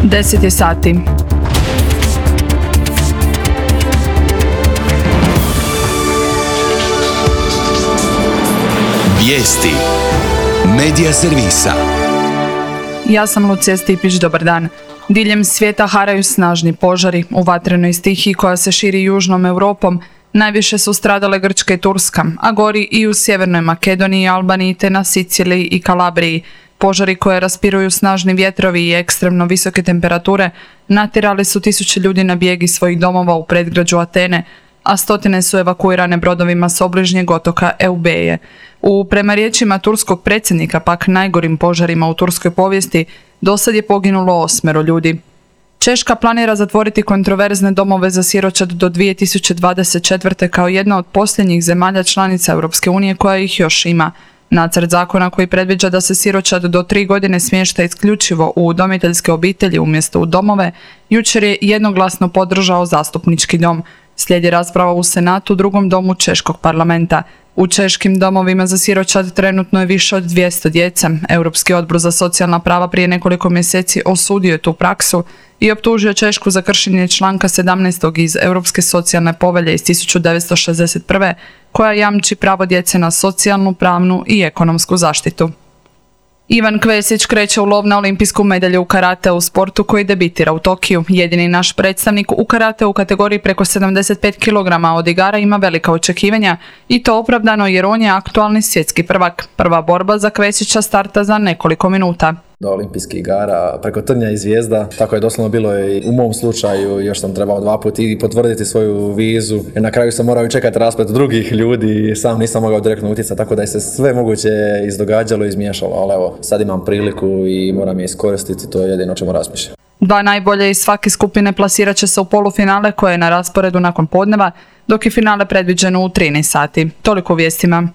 10 je sati. Vijesti Medija servisa. Ja sam Lucija Stipić, dobar dan. Diljem svijeta haraju snažni požari. U vatrenoj stihiji koja se širi južnom Europom najviše su stradale Grčka i Turska, a gori i u Sjevernoj Makedoniji, Albaniji te na Siciliji i Kalabriji. Požari koje raspiruju snažni vjetrovi i ekstremno visoke temperature natjerali su tisuće ljudi na bijeg iz svojih domova u predgrađu Atene, a stotine su evakuirane brodovima s obližnjeg otoka Eubeje. Prema riječima turskog predsjednika, pak najgorim požarima u turskoj povijesti, dosad je poginulo 8 ljudi. Češka planira zatvoriti kontroverzne domove za siročad do 2024. kao jedna od posljednjih zemalja članica Europske unije koja ih još ima. Nacrt zakona koji predviđa da se siročad do 3 godine smješta isključivo u udomiteljske obitelji umjesto u domove, jučer je jednoglasno podržao zastupnički dom. Slijedi rasprava u Senatu, drugom domu Češkog parlamenta. U češkim domovima za siročad trenutno je više od 200 djece. Europski odbor za socijalna prava prije nekoliko mjeseci osudio je tu praksu i optužio Češku za kršenje članka 17. iz Europske socijalne povelje iz 1961. koja jamči pravo djece na socijalnu, pravnu i ekonomsku zaštitu. Ivan Kvesić kreće u lov na olimpijsku medalju u karate u sportu koji debitira u Tokiju. Jedini naš predstavnik u karate u kategoriji preko 75 kg od igara ima velika očekivanja i to opravdano jer on je aktualni svjetski prvak. Prva borba za Kvesića starta za nekoliko minuta. Do olimpijskih igara preko trnja i zvijezda, tako je doslovno bilo i u mom slučaju, još sam trebao 2 puta i potvrditi svoju vizu jer na kraju sam morao čekati rasplet drugih ljudi i sam nisam mogao direktno utjecati, tako da je se sve moguće izdogađalo i izmiješalo, ali evo, sad imam priliku i moram je iskoristiti, to je jedino o čemu razmišljam. 2 najbolje iz svake skupine plasirat će se u polufinale koje je na rasporedu nakon podneva, dok je finale predviđeno u 13 sati. Toliko u vijestima.